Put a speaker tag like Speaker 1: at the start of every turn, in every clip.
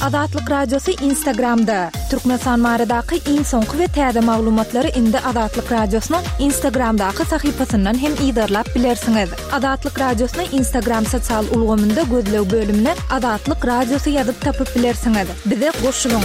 Speaker 1: Azatlyk Radiosy Instagramda! Türkmenistan baradaky iň soňky we täze maglumatlary indi Azatlyk Radiosynyň Instagramdaky sahypasyndan hem yzarlap bilersiňiz. Azatlyk Radiosyny Instagram sosial ulgamynda gözleg bölümine Azatlyk Radiosy ýazyp tapyp bilersiňiz. Bize goşulyň!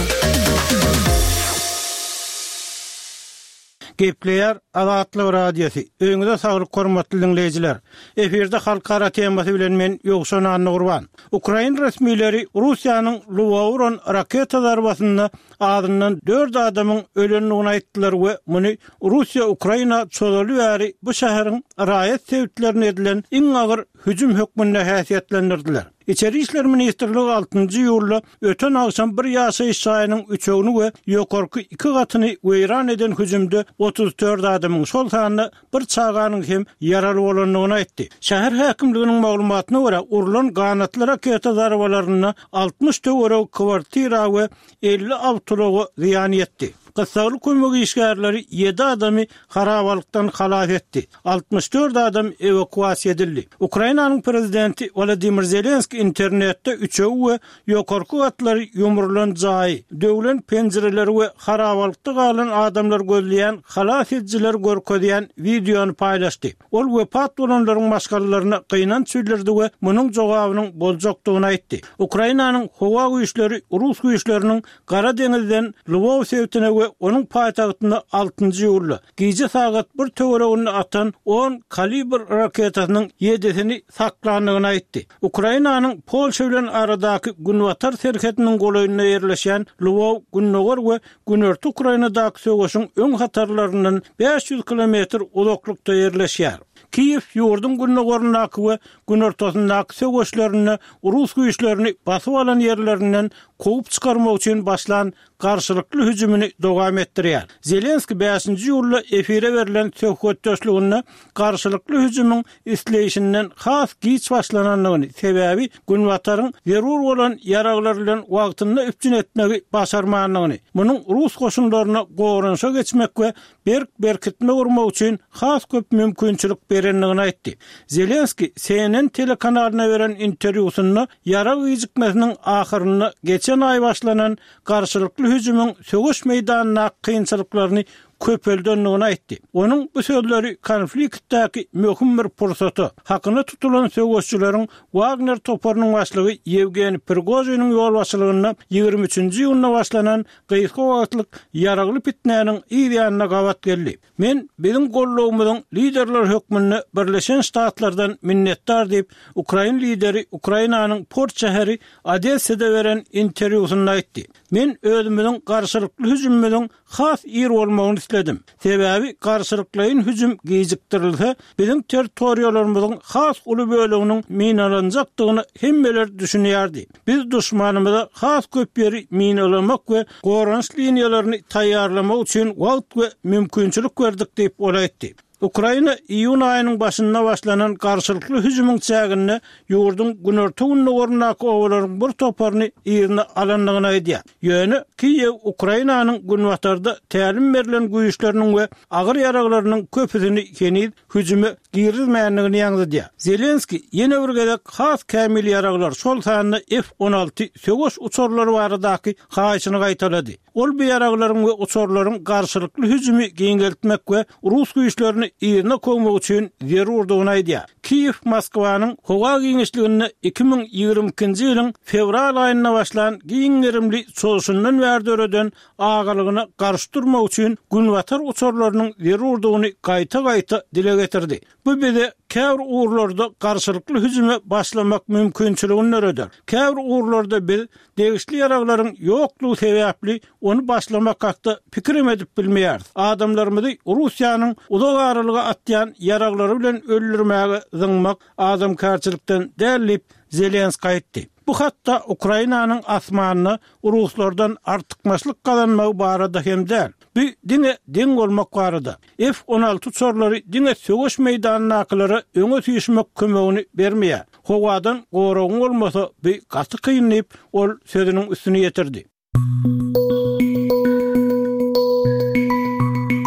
Speaker 2: Gepleýär Azatlyk Radiosy. Öýüňize saglyk hormatly diňleýjiler. Efirde halkara temasy bilen men Ýowşan Annagurban. Ukrain resmileri Russiýanyň Lwowa uran raketa zarbasynda azyndan dört adamyň ölendigini aýtdylar we muny Russiýa Ukraina çozaly bäri bu şäheriň raýat sebitlerine edilen iň agyr hüjüm hökmünde häsiýetlendirdiler. Içeri işler ministrligi altynjy iýulda öten agşam bir ýaşaýyş jaýynyň üçegini we ýokarky iki gatyny weýran eden hüjümde 34 adamyň, şol sanda bir çaganyň hem ýaraly bolandygyny aýtdy. Şäher häkimliginiň maglumatyna görä, urlan ganatly raketa zarbalarynda 60 töweregi kwartira we 50 awtoulaga zyýan ýetdi. Gyssagly kömek işgärleri ýedi adamy harabalykdan halas etdi. 64 adam ewakuasiýa edildi. Ukrainanyň prezidenti Wolodymyr Zelenskiý internetde üçegi we ýokarky gatlary ýumrulan jaýy, döwlen penjireleri we harabalykda galan adamlary gözleýän halas edijileri görkezýän wideony paýlaşdy. Ol wepat bolanlaryň maşgalalaryna gynanç bildirdi we munuň jogabynyň boljakdygyny aýtdy. Ukrainanyň howa güýçleri rus güýçleriniň Gara deňizden Lwow sebitine we onuň paýtagtyna altynjy iýulda, gije sagat bir töwereginde atan on Kalibr raketasynyň ýedisini saklandygyny aýtdy. Ukrainanyň Polşa bilen aradaky günbatar serhediniň golaýynda ýerleşýän Lwow gündogar we günorta Ukrainadaky söweşiň öň hatarlaryndan 500 kilometr uzaklykda ýerleşýär. Kiýew ýurduň gündogaryndaky we günortasyndaky söweşlerinde rus güýçlerini basyp alan ýerlerinden kowup çykarmak üçin başlan garşylykly hüjümini dowam etdirýär. Zelenskiý bäşinji iýulda efire berlen söhbetdeşliginde garşylykly hüjümiň isleýşinden has giç başlanandygyny, sebäbi Günbataryň zerur bolan ýaraglar bilen wagtynda üpjün etmegi başarmandygyny, munuň rus goşunlaryna goranyşa geçmek we berk berkitme gurmak üçin has köp mümkinçilik berendigini aýtdy. Zelenskiý CNN telekanalyna beren interwýusynda ýarag gijikmesiniň ahyrynda geçen aý başlanan garşylykly hüjümiň söweş meýdanyndaky kynçylyklaryny köpeldendigini aýtdy. Onuň bu sözleri konfliktdäki möhüm bir pursata, hakyna tutulan söweşçileriň Wagner toparynyň başlygy Ýewgeniý Prigožiniň ýolbaşçylygynda 23-nji iýunda başlanan gysga wagtlyk ýaragly pitnäniň yz ýanyna gabat geldi. Men biziň gollagymyzyň liderleri hökmünde Birleşen Ştatlardan minnetdar diýip, ukrain lideri Ukrainanyň port şäheri Odessada beren interwýusynda aýtdy. Men özümiziň garşylykly hüjümimiziň has ir bolmagyny isledim. Sebäbi garşylyklaýyn hüjüm gijikdirilse, biziň territoriýalarymyzyň has uly böleginiň minalanjakdygyna hemmeler düşünýärdi. Biz duşmanymyza has köp ýeri minalamak we goranyş liniýalaryny taýýarlamak üçin wagt we mümkinçilik berdik diýip, ol aýtdy. Ukraina iýun aýynyň başynda başlanan garşylykly hüjümiň çäginde ýurduň günorta-gündogaryndaky obalaryň bir toparyny yzyna alandygyny aýdýar. Ýöne Kiýew Ukrainanyň günbatarda tälim berlen güýçleriniň we agyr ýaraglarynyň köpüsini heniz hüjüme girizmändigini ýaňzydýar. Zelenskiý ýene bir gezek has kämil ýaraglar, şol sanda F-on alty söweş uçarlary baradaky haýyşyny gaýtalady. Ol bu ýaraglaryň we uçarlaryň garşylykly hüjümi giňeltmek we rus güýçlerini yzyna kowmak üçin zerurdygyny aýdýar. Kiýew Moskwanyň howa giňişliginde 2022-nji ýylyň fewral aýynda başlan giň gerimli çozuşyndan bäri döreden agalygyna garşy durmak üçin günbatar uçarlarynyň zerurdygyny gaýta-gaýta dile getirdi. Bu bize käbir ugurlarda garşylykly hüjüme başlamak mümkinçiligini döreder. Käbir ugurlarda biz degişli ýaraglaryň ýoklugy sebäpli ony başlamak hakda pikirem edip bilmeýäris. Adamlarymyzy Russiýanyň uzak aralyga atýan ýaraglary bilen öldürmäge zyňmak adamkärçilikden däl diýip, Zelenskiý aýtdy. Bu hatda Ukrainanyň asmanyna ruslardan artykmaçlyk gazanmagy barada hem däl. Bu diňe deň bolmak barada. F-on alty uçarlary diňe söweş meýdanyndakylara öňe süýşmek kömegini bermeýär. Howadan goragyň bolmasa, bu gaty kyn diýip, ol sözüniň üstüni ýetirdi.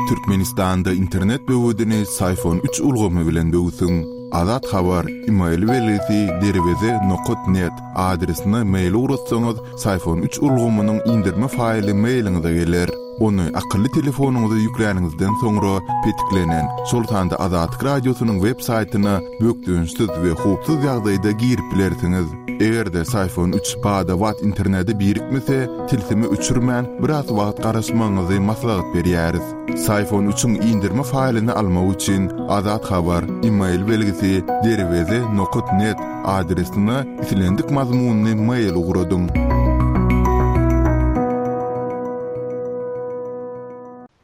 Speaker 3: Türkmenistanda internet böwedini Syfon üç ulgamy bilen böwsüň! Azat Habar, email belgisi derweze nokat net adresine mail ugratsaňyz, Syfon üç ulgamynyň indirme faýly mailiňize geler. Ony akylly telefonyňyza ýükläniňizden soňra petiklenen, şol sanda Azatlyk Radiosynyň web saýtyna bökdençsiz we howpsuz ýagdaýda girip bilersiňiz. Eger-de Syfon üç bada-bat internete birikmese, tilsimi öçürmän, biraz wagt garaşmagyňyzy maslahat berýäris. Syfon üçiň indirme faýlyny almak üçin Azat Habar, email belgisi, derweze nokat net adresine islendik mazmunly mail ugradyň.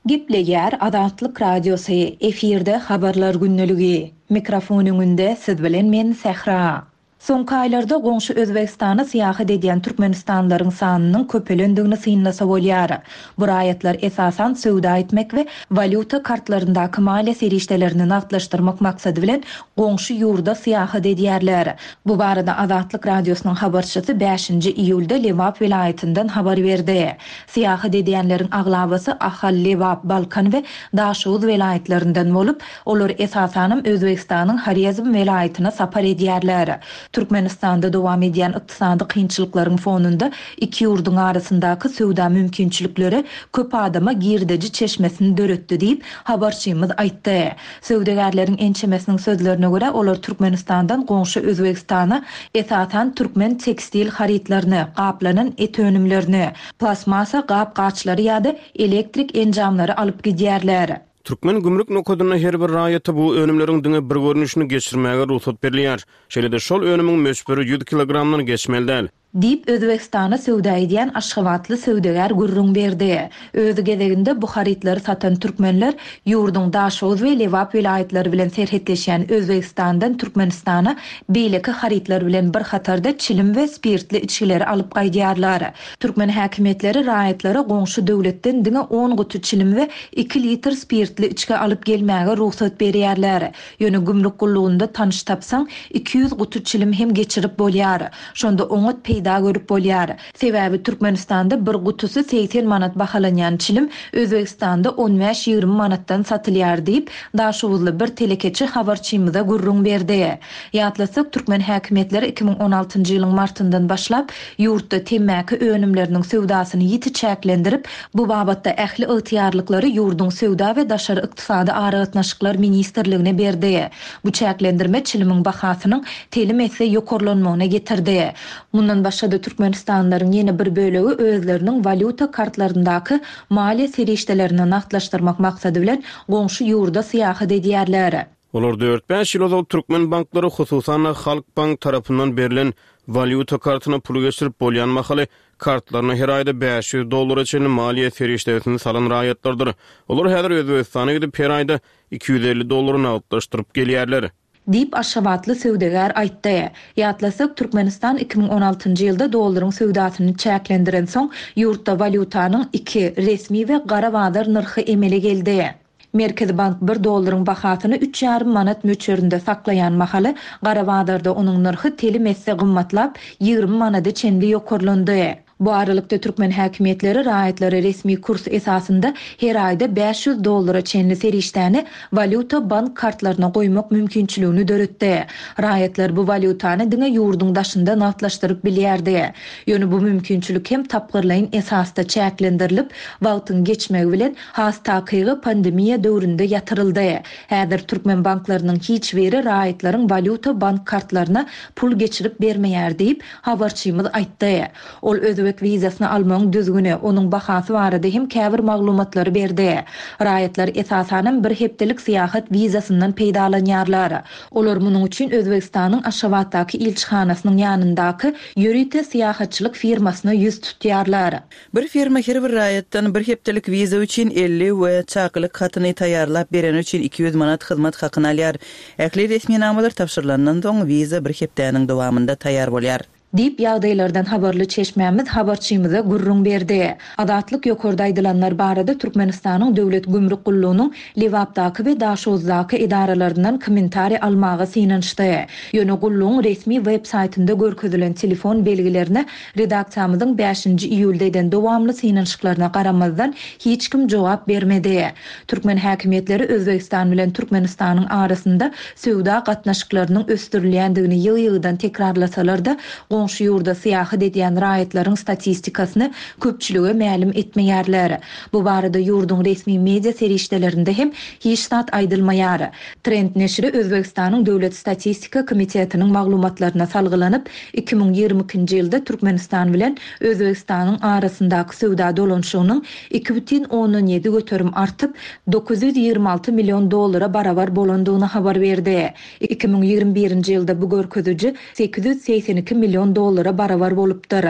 Speaker 1: Gepleýär Azatlyk Radiosy, efirde Habarlar gündeligi. Mikrofon öňünde siz bilen men Sähra. Soňky aýlarda goňşy Özbegistana syýahat edýän türkmenistanlylaryň sanynyň köpelendigini synlasa bolýar. Bu raýatlar esasan söwda etmek we walýuta kartlaryndaky maliýe serişdelerini nagtlaşdyrmak maksady bilen goňşy ýurda syýahat edýärler. Bu barada Azatlyk Radiosynyň habarçysy bäşinji iýulda Lebap welaýatyndan habar berdi. Syýahat edýänleriň aglabasy Ahal, Lebap, Balkan we Daşoguz welaýatlaryndan bolup, Olar esasanam Özbegistanyň Horezm welaýatyna sapar edýärler. Türkmenistanda dowam edýän ykdysady kynçylyklaryň fonunda iki ýurduň arasyndaky söwda mümkinçilikleri köp adama girdeji çeşmesini döretdi diýip, habarçymyz aýtdy. Söwdagärleriň ençemesiniň sözlerine görä, olar Türkmenistandan goňşy Özbegistana esasan türkmen tekstil harytlaryny, gaplanan et önümlerini, plastmassa gap-gaçlary ýa-da elektrik enjamlary alyp gidýärler.
Speaker 4: Türkmen gümrük nokadynda her bir raýata bu önümleriň diňe bir görnüşini geçirmäge rugsat berilýär. Şeýle-de şol önümiň möçberi 100 kilogramdan geçmeli däl.
Speaker 1: Diýip, Özbegistana söwda edýän aşgabatly söwdagär gürrüň berdi. Öz gezeginde bu harytlary satan türkmenler ýurduň Daşoguz we Lebap welaýatlary bilen serhetleşýän Özbegistandan Türkmenistana beýleki harytlar bilen bir hatarda çilim we spirtli içgileri alyp gaýdýarlar. Türkmen häkimiýetleri raýatlara goňşy döwletden diňe on guty çilim we iki litr spirtli içgi alyp gelmäge rugsat berýärler. Ýöne gümrük gullugynda tanyş tapsaň, 200 guty çilim hem geçirip bolýar. Şonda oňat peýda görüp bolýar. Sebäbi Türkmenistanda bir gutusy 80 manat bahalanýan çilim Özbegistanda on bäş-ýigrimi manatdan satylýar diýip, daşoguzly bir telekeçi habarçymyza gürrüň berdi. Ýatlatsak, türkmen häkimiýetleri 2016-njy ýylyň martyndan başlap, ýurtda temmäki önümleriniň söwdasyny ýiti çäklendirip, bu babatda ähli ygtyýarlyklary ýurduň Söwda we daşary ykdysady aragatnaşyklar ministrligine berdi. Bu çäklendirme çilimiň bahasynyň telim esse ýokarlanmagyna getirdi. Mundan başga-da türkmenistanlylaryň ýene bir bölegi özleriniň walýuta kartlaryndaky maliýe serişdelerini nagtlaşdyrmak maksady bilen goňşy ýurda syýahat edýärler.
Speaker 4: Olar dört-bäş ýyl ozal türkmen banklary, hususan-da, Halkbank tarapyndan berlen walýuta kartyna pul geçirip bolýan mahaly, kartlaryna her aýda 500 dollara çenli maliýe serişdesini salan raýatlardyr. Olar häzir Özbegistana gidip, her aýda 250 dollary nagtlaşdyryp gelýärler.
Speaker 1: Diýip, aşgabatly söwdagär aýtdy. Ýatlasak, Türkmenistan 2016-njy ýylda dollaryň söwdasyny çäklendirensoň, ýurtda walýutanyň iki, resmi we gara bazar nyrhy emele geldi. Merkezi bank bir dollaryň bahasyny üç ýarym manat möçberinde saklaýan mahaly, gara bazarda onuň nyrhy telim esse gymmatlap, 20 manada çenli ýokarlandy. Bu aralykda, türkmen häkimiýetleri raýatlara resmi kurs esasynda her aýda 500 dollara çenli serişdäni walýuta bank kartlaryna goýmak mümkinçiligini döretdi. Raýatlar bu walýutany diňe ýurduň daşynda nagtlaşdyryp bilýärdi. Ýöne bu mümkinçilik hem tapgyrlaýyn esasda çäklendirilip, wagtyň geçmegi bilen, Has takygy, pandemiýa döwründe ýatyryldy. Häzir türkmen banklarynyň hiç biri raýatlaryň walýuta bank kartlaryna pul geçirip bermeýär diýip, habarçymyz aýtdy. Ol özbek wizasyny almagyň düzgüni, onuň bahasy barada hem käbir maglumatlary berdi. Raýatlar esasanam bir hepdelik syýahat wizasyndan peýdalanýarlar. Olar munuň üçin Özbegistanyň Aşgabatdaky ilçihanasynyň ýanyndaky ýörite syýahatçylyk firmasyna ýüz tutýarlar.
Speaker 5: Bir firma her bir raýatdan bir hepdelik wiza üçin 50 we çakylyk hatyny taýýarlap bereni üçin 200 manat hyzmat hakyny alýar. Ähli resminamalar tabşyrylandan soň, wiza bir hepdäniň dowamynda taýýar bolýar.
Speaker 1: Diýip, ýagdaýlardan habarly çeşmämiz habarçymyza gürrüň berdi. Azatlyk ýokarda aýdylanlar barada Türkmenistanyň Döwlet gümrük gullugynyň Lebapdaky we Daşoguzdaky edaralaryndan kommentariý almaga synanyşdy. Ýöne gullugyň resmi web saýtynda görkezilen telefon belgilerine redaksiýamyzyň bäşinji iýulda eden dowamly synanyşyklaryna garamazdan, hiç kim jogap bermedi. Türkmen häkimiýetleri Özbegistan bilen Türkmenistanyň arasynda söwda gatnaşyklarynyň ösdürilýändigini ýygy-ýygydan tekrarlasalar-da, goňşy ýurda syýahat edýän raýatlaryň statistikasyny köpçülige mälim etmeýärler. Bu barada ýurduň resmi media serişdelerinde hem hiç zat aýdylmaýar. Trend neşiri Özbegistanyň Döwlet statistika komitetiniň maglumatlaryna salgylanyp, 2022-nji ýylda Türkmenistan bilen Özbegistanyň arasyndaky söwda dolanyşygynyň 2,7 göterim artyp, 926 million dollara barabar bolandygyny habar berdi. 2021-nji ýylda bu görkeziji 882 million dollara barabar bolupdyr.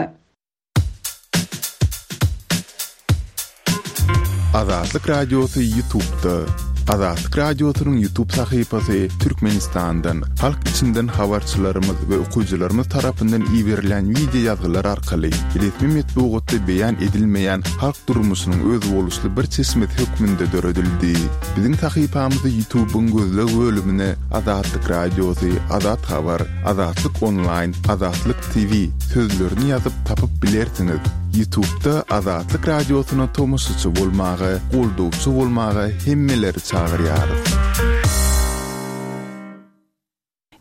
Speaker 3: Azatlyk Radiosy YouTube'da. Azatlyk Radiosynyň YouTube sahypasy Türkmenistandan, halk içinden habarçylarymyz we okyjylarymyz tarapyndan iberilen wideo ýazgylar arkaly resmi metbugatda beýan edilmeýän halk durmuşynyň özboluşly bir çeşmesi hökmünde döredildi. Biziň sahypamyzy YouTube-yň gözleg bölümine Azatlyk Radiosy, Azat Habar, Azatlyk Onlaýn, Azatlyk TV sözlerini ýazyp tapyp bilersiňiz. Ýutubda Azatlyk Radiosyna tomaşaçy bolmaga, goldawçy bolmaga hemmeleri çagyrýarys.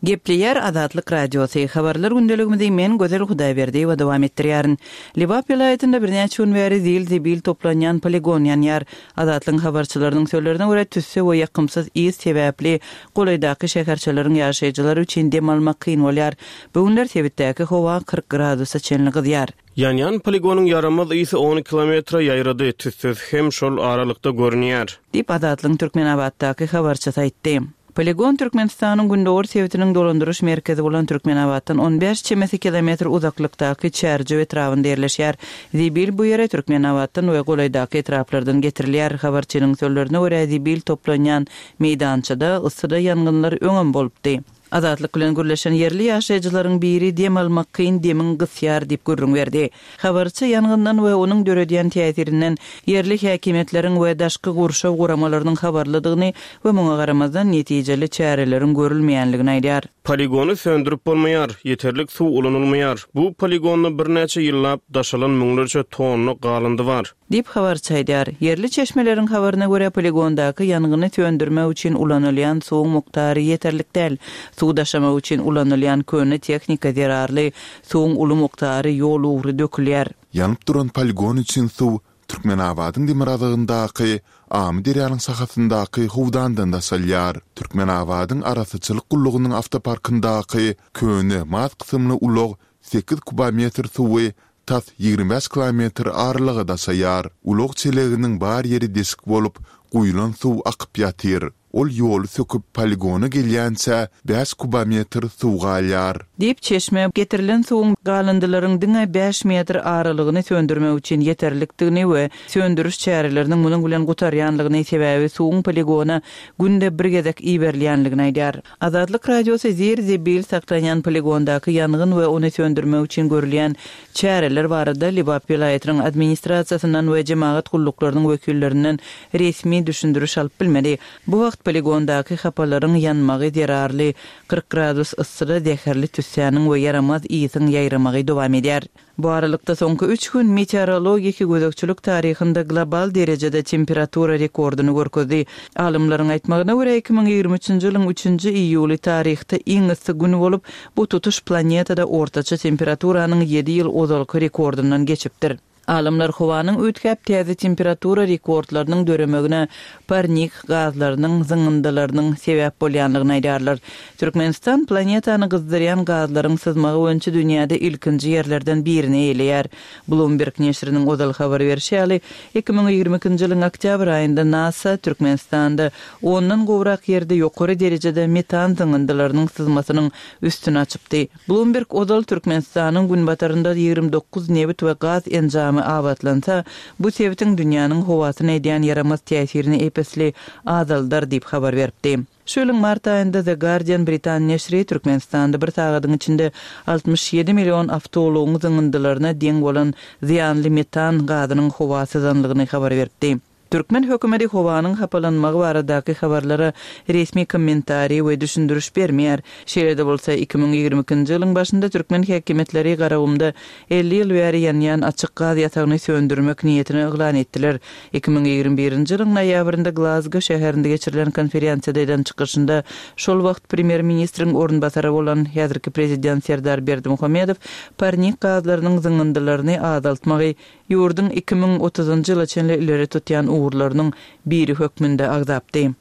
Speaker 5: Gepleýär Azatlyk Radiosy, Habarlar gündeligimizi men Gözel Hudaýberdiýewa dowam etdirýärin. Lebap welaýatynda birnäçe gün bäri zil-zibil toplanýan poligon ýanýar. Azatlygyň habarçylarynyň sözlerine görä, tüsse we ýakymsyz ys sebäpli golaýdaky şäherçeleriň ýaşaýjylary üçin dem almak kyn bolýar. Bu günler sebitdäki howa 40 gradusa çenli gyzýar.
Speaker 4: Ýanýan poligonyň ýaramaz ysy on kilometre ýaýrady, tüssesi hem şol aralykda görünýär.
Speaker 5: Diýip, Azatlygyň Türkmenabatdaky habarçysy aýtdy. Poligon Türkmenistanyň gündogar sebitiniň dolandyryş merkezi bolan Türkmenabatdan on bäş çemesi kilometr uzaklykdaky Çärjew etrabynda ýerleşýär. Zibil bu ýere Türkmenabatdan we golaýdaky etraplardan getirilýär. Habarçynyň sözlerine görä, zibil toplanýan meýdançada yssyda ýangynlar öňem bolupdy. Azatlyk bilen gürleşen ýerli ýaşaýjylaryň biri dem almak kyn, demiň gysýar diýip gürrüň berdi. Habarçy ýangyndan we onuň döredýän täsirinden ýerli häkimiýetleriň we daşky gurşaw guramalarynyň habarlydygyny we muňa garamazdan netijeli çäreleriň görülmeýänligini aýdýar.
Speaker 4: Poligony söndürip bolmaýar, ýeterlik suw ulanylmaýar. Bu poligonda birnäçe ýyllap daşalan müňlerçe tonna galyndy bar.
Speaker 5: Diýip, habarçy aýdýar. Ýerli çeşmeleriň habaryna görä, poligondaky ýangyny söndürmek üçin ulanylýan suwuň mukdary ýeterlik däl. Suw daşamak üçin ulanylýan köne tehnika zerarly suwuň uly mukdary
Speaker 3: ýol ugry dökülýär. Ýanyp duran poligon üçin suw Türkmenabadyň demirgazygyndaky Amyderýanyň şahasyndaky howdandan daşalýar. Türkmenabadyň arassaçylyk gullugynyň awtoparkyndaky köne maz kysymly ulag sekiz kubometr suwy tas 25 kilometr aralyga daşaýar. Ulag çeleginiň bar ýeri deşik bolup, guýlan suw akyp ýatyr. Ol ýoly söküp poligona gelýänçä bäş kubometr suw galýar.
Speaker 5: Diýip, çeşme, getirilen suwuň galyndylaryň diňe bäş metr aralygyny söndürmek üçin ýeterlikdigini we söndüriş çäreleriniň munuň bilen gutarýanlygyny, sebäbi suwuň poligona günde bir gezek iberilýänligini aýdýar. Azatlyk Radiosy zir-zibil saklanýan poligondaky ýangyn we ony söndürmek üçin görülýän çäreler barada Lebap welaýatynyň administrasiýasyndan we jemagat gulluklarynyň wekillerinden resmi düşündiriş alyp bilmedi. Bu wagt poligondaky hapalaryň ýanmagy zerarly 40 gradus yssyda zäherli tüssäniň we ýaramaz ysyň ýaýramagy dowam edýär. Bu aralykda, soňky üç gün meteorologiki gözegçilik taryhynda global derejede temperatura rekordyny görkezdi. Alymlaryň aýtmagyna görä, 2023-nji ýylyň üçünji iýuly taryhda iň yssy gün bolup, bu tutuş planetada ortaça temperaturanyň ýedi ýyl ozalky rekordyndan geçipdir. Alymlar howanyň üýtgäp täze temperatura rekordlarynyň döremegine parnik gazlarynyň zyňyndylarynyň sebäp bolýandygyny aýdýarlar. Türkmenistan planetany gyzdyrýan gazlaryň syzmagy boýunça dünýäde ilkinji ýerlerden birini eýeleýär. Bloomberg neşiriniň ozal habar berşi ýaly, 2022-nji ýylyň oktýabr aýynda NASA Türkmenistanda ondan gowrak ýerde ýokary derejede metan zyňyndylarynyň syzmasynyň üstüni açypdy. Bloomberg ozal Türkmenistanyň günbatarynda 29 nebit we gaz enjamy. toplumy abatlansa, bu sebitiň dünýäniň howasyna edýän ýaramaz täsirini ep-esli azaldar diýip habar beripdi. Şu ýylyň mart aýynda The Guardian britan neşiri Türkmenistanda bir sagadyň içinde 67 million awtoulagyň zyňyndylaryna deň bolan zyýanly metan gazynyň howa syzanlygyny habar beripdi. Türkmen hökümeti howanyň hapalanmagy baradaky habarlara resmi kommentariý we düşündiriş bermeýär. Şeýle-de bolsa, 2022-nji ýylyň başynda türkmen häkimiýetleri Garagumda 50 ýyl bäri ýanýan açyk gaz ýatagyny söndürmek niýetini yglan etdiler. 2021-nji ýylyň noýabrynda Glazgo şäherinde geçirilen konferensiýada eden çykyşynda şol wagt premýer-ministriň orunbasary bolan häzirki prezident Serdar Berdimuhamedow parnik gazlarynyň zyňyndylaryny azaltmagy ýurduň 2030-njy ýyla çenli ileri tutýan ugurlarynyň biri hökmünde agzapdy.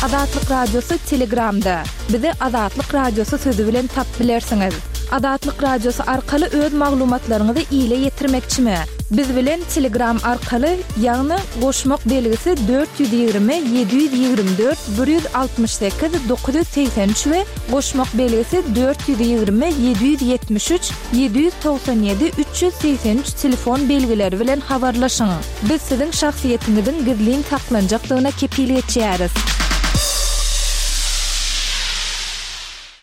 Speaker 1: Azatlyk Radiosy Telegramda. Bizi Azatlyk Radiosy sözi bilen tapyp bilersiňiz. Azatlyk Radiosy arkaly öz maglumatlaryňyzy ile ýetirmekçimi? Biz bilen Telegram arkaly, ýagny goşmak belgisi 420 724 168 983 we goşmak belgisi 420 773 797 383 telefon belgileri bilen habarlaşyň. Biz siziň şahsyýetiňiziň gizlin saklanjakdygyna kepil geçýäris.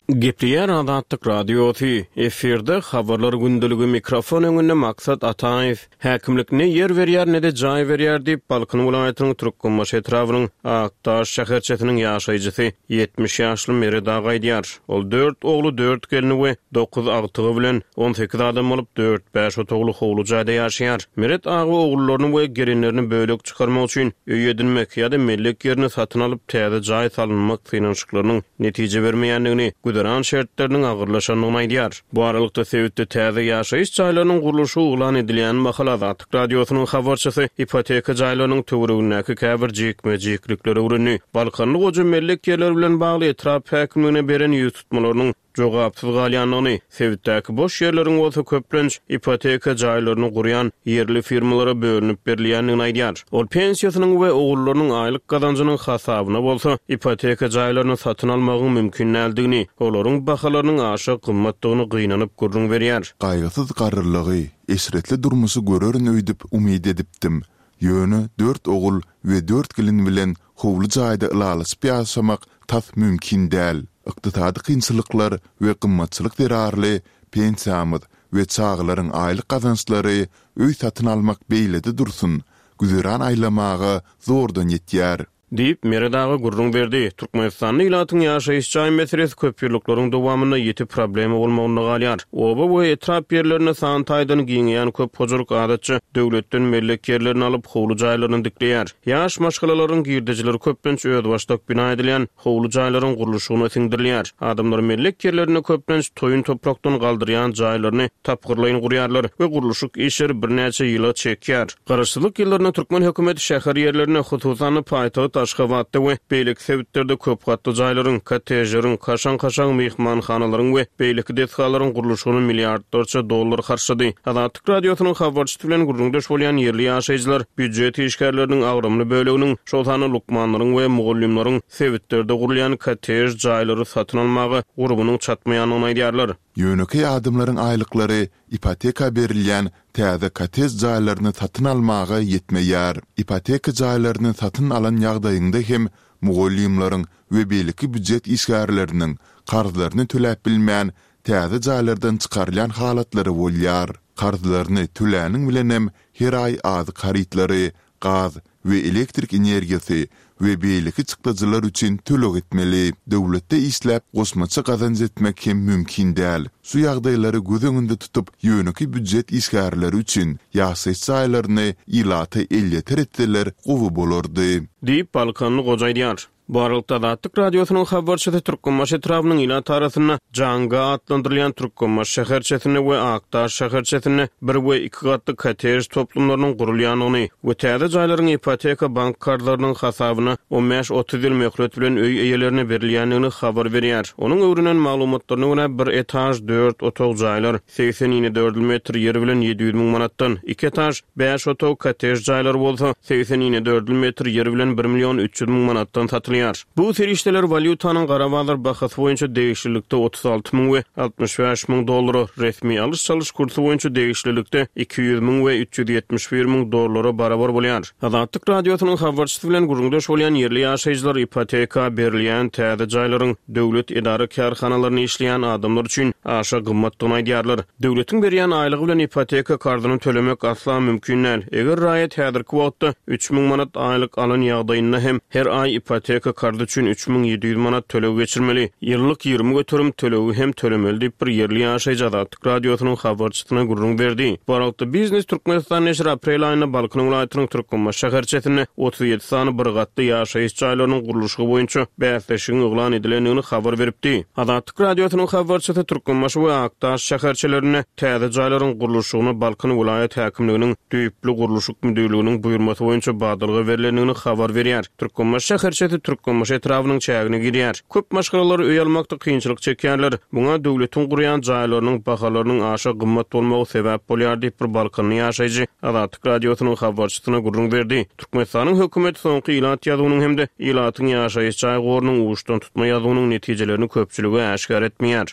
Speaker 4: Gepleýär Azatlyk Radiosy, Efirde Habarlar gündeligi mikrofon öňünde Maksat Ataýew. Häkimlik ne ýer berýär, ne-de jaý berýär diýip, Balkan welaýatynyň Türkmenbaşy etrabynyň Akdaş şäherçesiniň ýaşaýjysy 70 ýaşly Meret aga aýdýar. Ol dört ogly, dört gelni we dokuz agtygy bilen 18 adam bolup, dört-bäş otagly howly jaýda ýaşaýar. Meret aga ogullaryny we gelinlerini bölek çykarmak üçin öý edinmek ýa-da mellek ýerini satyn alyp, täze jaý salynmak synanyşyklarynyň netije bermeýändigini, güzeran şertleriniň agyrlaşandygyny aýdýar. Bu aralykda, sebitde täze ýaşaýyş jaýlarynyň gurluşygy yglan edilýän mahaly Azatlyk Radiosynyň habarçysy ipoteka jaýlarynyň töweregindäki käbir jikme-jiklikleri öwrendi. Balkanly goja mellek ýerleri bilen bagly etrap häkimligine beren ýüztutmalarynyň jogapsyz galýandygyny, sebitdäki boş ýerleriň bolsa köplenç ipoteka jaýlaryny gurýan ýerli firmalara bölünip berilýändigini aýdýar. Ol pensiýasynyň we ogullarynyň aýlyk gazanjynyň hasabyna bolsa ipoteka jaýlaryny satyn almagyň mümkin däldigini, olaryň bahalarynyň aşa gymmatdygyny gynanyp gürrüň berýär.
Speaker 3: Gaýgysyz garrylygy, eşretli durmuşy görerin öýdüp umyt edipdim. Ýöne dört ogul we dört gelin bilen howly jaýda ylalaşyp ýaşamak tas mümkin däl. Ykdysady kynçylyklar we gymmatçylyk zerarly pensiýamyz we çagalaryň aýlyk gazançlary öý satyn almak beýlede dursun, güzeran aýlamaga zordan ýetýär.
Speaker 4: Diýip, Meret aga gürrüň berdi. Türkmenistanda ilatyň ýaşaýyş jaý meselesi köpýyllyklaryň dowamynda ýiti problema bolmagynda galýar. Oba we etrap ýerlerinde san taýdan giňeýän köp hojalyk adatça döwletden mellek ýerlerini alyp, howly jaýlaryny dikleýär. Ýaş maşgalalaryň girdejileri köplenç özbaşdak bina edilýän howly jaýlaryň gurluşygyna siňdirilýär. Adamlar mellek ýerlerinde köplenç toýun toprakdan galdyrýan jaýlaryny tapgyrlaýyn gurýarlar we gurluşyk işleri birnäçe ýyla çekýär. Garaşsyzlyk ýyllarynda türkmen hökümeti şäher ýerlerinde, hususan-da paýtagt Aşgabatda we beýleki sebitlerde köp gatly jaýlaryň, kottejleriň, kaşaň-kaşaň myhmanhanalaryň we beýleki desgalaryň gurluşygyna milliardlarça dollar harçlady. Azatlyk Radiosynyň habarçysy bilen gürrüňdeş bolýan ýerli ýaşaýjylar býujet işgärleriniň agramly böleginiň, şol sanda lukmanlaryň we mugallymlaryň sebitlerde gurulýan kottej jaýlary satyn almaga gurbunyň çatmaýandygyny aýdýarlar.
Speaker 3: Ýönekeý adamlaryň aýlyklary ipoteka berilýän täze kottej jaýlaryny satyn almaga ýetmeýär. Ipoteka jaýlaryny satyn alan ýagdaýyňda hem mugallymlaryň we beýleki býujet işgärleriniň karzlaryny töläp bilmän, täze jaýlardan çykarylýan halatlary bolýar. Karzlaryny töläniň bilenem her aý azyk harytlary, gaz we elektrik energiýasy we beýleki çykdajylar üçin töleg etmeli. Döwletde işläp, goşmaça gazanç etmek hem mümkin däl. Şu ýagdaýlary göz öňünde tutup, ýönekeý býujet işgärleri üçin ýaşaýyş jaýlaryny ilata elýeter etseler gowy bolardy.
Speaker 4: Diýip, balkanly goja aýdýar. Bu aralykda, Azatlyk Radiosynyň habarçysy Türkmenbaşy etrabynyň ilat arasynda Janga atlandyrylýan Türkmenbaşy şäherçesinde we Akdaş şäherçesinde bir we iki gatly kottej toplumlarynyň gurulýandygyny we täze jaýlaryň ipoteka bank karzlarynyň hasabyna on bäş-otuz ýyl möhlet bilen öý eýelerine berilýändigini habar berýär. Onuň öwrenen maglumatlaryna görä, bir etaž, dört otag jaýlar 80 inedördül metr ýer bilen 700 müň manatdan, iki etaž, bäş otag kottej jaýlary bolsa 80 inedördül metr ýer bilen bir million 300 müň manatdan satylýar. satylýar. Bu serişdeler walýutanyň gara bazar bahasy boýunça degişlilikde 36 müň we 65 müň dollara, resmi alyş-çalyş kursy boýunça degişlilikde 200 müň we 371 müň dollara barabar bolýar. Azatlyk Radiosynyň habarçysy bilen gürrüňdeş bolýan ýerli ýaşaýjylar ipoteka berilýän täze jaýlaryň döwlet edara-kärhanalarynda işleýän adamlar üçin aşa gymmatdygyny aýdýarlar. Döwletiň berýän aýlygy bilen ipoteka karzyny tölemek asla mümkin däl. Eger raýat häzirki wagtda 3000 manat aýlyk alan ýagdaýynda hem her aý ipoteka karzy üçin 3700 manat töleg geçirmeli. Ýyllyk 20% tölegi hem tölemeli diýip, bir ýerli ýaşaýjy Azatlyk Radiosynyň habarçysyna gürrüň berdi. Bu aralykda, Biznes Türkmenistan neşiri aprel aýynda Balkan welaýatynyň Türkmenbaşy şäherçesinde 37 sany bir gatly ýaşaýyş jaýlarynyň gurluşygy boýunça bäsleşigiň yglan edilendigini habar beripdi. Azatlyk Radiosynyň habarçysy Türkmenbaşy we Akdaş şäherçelerinde täze jaýlaryň gurluşygyna Balkan welaýat häkimliginiň düýpli gurluşyk müdirliginiň buýurmasy boýunça badalga berlendigini habar berýär. Türkmenbaşy şäherçesi Türkmenbaşy etrabynyň çägine girýär. Köp maşgalalar öý almakda kynçylyk çekýärler. Muňa döwletiň gurýan jaýlarynyň bahalarynyň aşa gymmat bolmagy sebäp bolýar diýip, bir balkanly ýaşaýjy Azatlyk Radiosynyň habarçysyna gürrüň berdi. Türkmenistanyň hökümeti soňky ilat ýazuwynyň hem-de ilatyň ýaşaýyş jaý gorunyň uçdantutma ýazuwynyň netijelerini köpçülige äşgär etmeýär.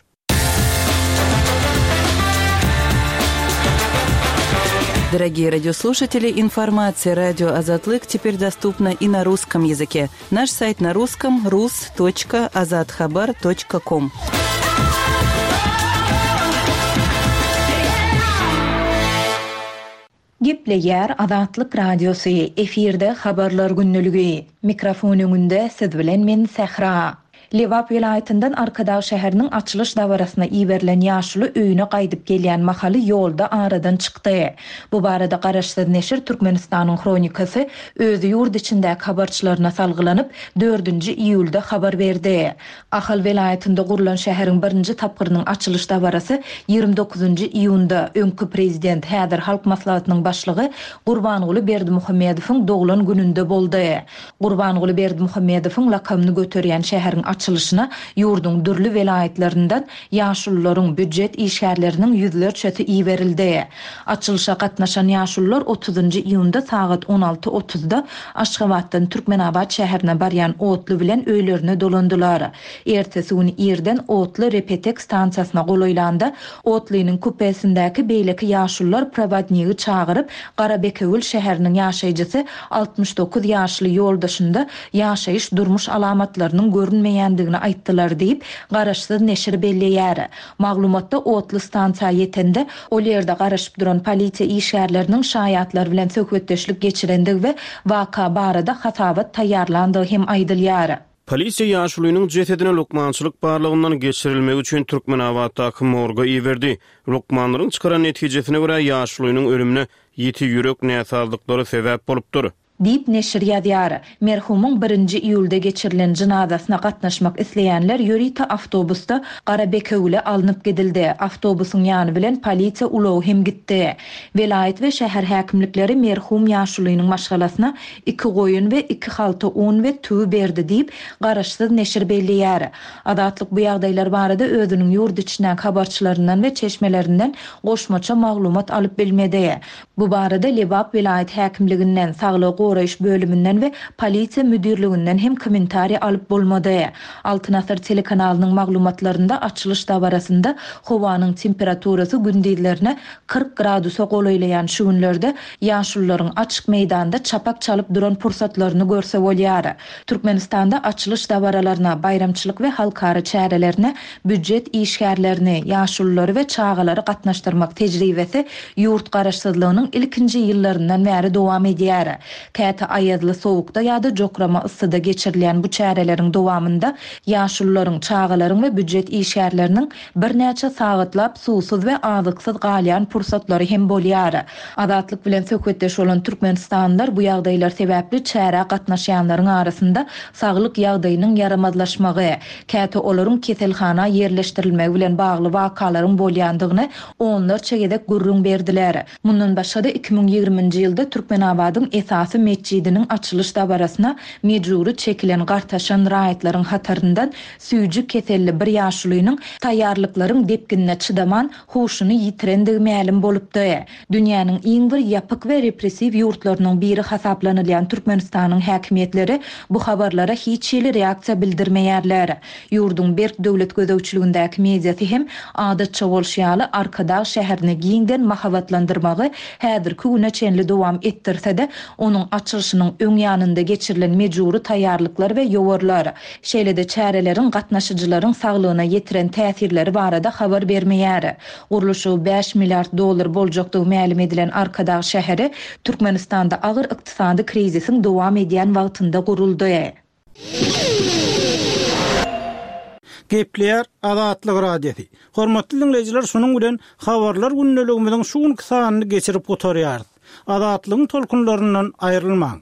Speaker 5: Дорогие радиослушатели, информация радио Азатлык теперь доступна и на русском языке. Наш сайт на русском rus.azathabar.com.
Speaker 1: Gepleýär Azatlyk Radiosy, efirde Habarlar gündeligi. Mikrofon öňünde siz bilen men Sähra. Lebap welaýatyndan Arkadag şäheriniň açylyş dabarasyna iberilen ýaşuly öýüne gaýdyp gelýän mahaly ýolda aradan çykdy. Bu barada garaşsyz neşir Türkmenistanyň Hronikasy öz ýurt içindäki habarçylaryna salgylanyp, dördünji iýulda habar berdi. Ahal welaýatynda gurlan şäheriň birinji tapgyrynyň açylyş dabarasy 29-njy iýunda, öňki prezident, häzir Halk Maslahatynyň başlygy Gurbanguly Berdimuhamedowyň doglan gününde boldy. Gurbanguly Berdimuhamedowyň lakamyny göterýän şäheriň açylyşyna ýurduň dürli welaýatlaryndan ýaşulularyň, býujet işgärleriniň ýüzlerçesi iberildi. Açylyşa gatnaşan ýaşulular otuzynjy iýunda sagat on alty otuzda Aşgabatdan Türkmenabat şäherine barýan otly bilen öýlerine dolandylar. Ertesi gün irden otly Repetek stansiýasyna golaýlanda, otlynyň kupesindäki beýleki ýaşulular prowodnigi çagyryp, Garabekewül şäheriniň ýaşaýjysy 69 ýaşly ýoldaşynda ýaşaýyş-durmuş alamatlarynyň görünmeýändigini aýtdylar diýip, garaşsyz neşir belleýär. Maglumatda otly stansiýa ýetende, ol ýerde garaşyp duran polisiýa işgärleriniň şaýatlar bilen söhbetdeşlik geçirendigi we waka barada hasabat taýýarlandygy hem aýdylýar.
Speaker 4: Polisiýa ýaşulynyň jesedini lukmançylyk barlagyndan geçirilmegi üçin Türkmenabatdaky morga iberdi. Lukmanlaryň çykaran netijesine görä, ýaşulynyň ölümine ýiti ýürek näsazlyklary sebäp bolupdyr.
Speaker 1: Diýip, neşir ýazýar. Merhumyň birinji iýulda geçirilen jynazasyna gatnaşmak isleýänler ýörite awtobusda Garabekewüle alnyp gidildi. Awtobusyň ýany bilen polisiýa ulagy hem gitdi. Welaýat we şäher häkimlikleri merhum ýaşulynyň maşgalasyna iki goýun we iki halta un we tüwi berdi diýip, garaşsyz neşir belleýär. Azatlyk bu ýagdaýlar barada özüniň ýurt içindäki habarçylaryndan we çeşmelerinden goşmaça maglumat alyp bilmedi. Bu barada Lebap welaýat häkimliginden, saglygy goraýyş bölüminden we polisiýa müdirliginden hem kommentariý alyp bolmady. Altyn asyr telekanalynyň maglumatlarynda açylyş dabarasynda howanyň temperaturasy gündizlerine 40 gradusa golaýlaýan şu günlerde ýaşulularyň açyk meýdanda çapak çalyp duran pursatlaryny görse bolýar. Türkmenistanda açylyş dabaralaryna, baýramçylyk we halkara çärelerine býujet işgärlerini, ýaşululary we çagalary gatnaşdyrmak tejribesi ýurt garaşsyzlygynyň ilkinji ýyllaryndan bäri dowam edýär. Käte aýazly sowukda ýa-da jokrama yssyda geçirilýän bu çäreleriň dowamynda ýaşulularyň, çagalaryň we býujet işgärleriniň birnäçe sagatlap suwsuz we azyksyz galýan pursatlary hem bolýar. Azatlyk bilen söhbetdeş bolan türkmenistanlylar bu ýagdaýlar sebäpli çärä gatnaşýanlaryň arasynda saglyk ýagdaýynyň ýaramazlaşmagy, käte olaryň keselhana ýerleşdirilmegi bilen bagly wakalaryň bolýandygyny onlarça gezek gürrüň berdiler. Mundan başga-da, 2020-nji ýylda Türkmenabadyň esasy. metjidiniň açylyş dabarasyna mejbury çekilen gartaşan raýatlaryň hataryndan süýji keselli bir ýaşulynyň taýýarlyklaryň depginine çydaman, huşuny ýitirendigi mälim bolupdy. Dünýäniň iň bir ýapyk we repressiw ýurtlarynyň biri hasaplanylýan Türkmenistanyň häkimiýetleri bu habarlara hiç hili reaksiýa bildirmeýärler. Ýurduň berk döwlet gözegçiligindäki mediasy hem, adatça bolşy ýaly, Arkadag şäherini giňden mahabatlandyrmagy häzirki güne çenli dowam etdirse-de, onuň açylyşynyň öň ýanynda geçirilen mejbury taýýarlyklar we ýowarlar, şeýle-de çäreleriň gatnaşyjylaryň saglygyna ýetiren täsirleri barada habar bermeýär. Gurluşygy bäş milliard dollar boljakdygy mälim edilen Arkadag şäheri Türkmenistanda agyr ykdysady krizisiň dowam edýän wagtynda guruldy.
Speaker 2: Gepleýär Azatlyk Radiosy. Hormatly diňleýjiler şunuň bilen Habarlar gündeligimiziň şu günki sanyny geçirip gutarýarys. Azatlygyň tolkunlaryndan aýrylmaň.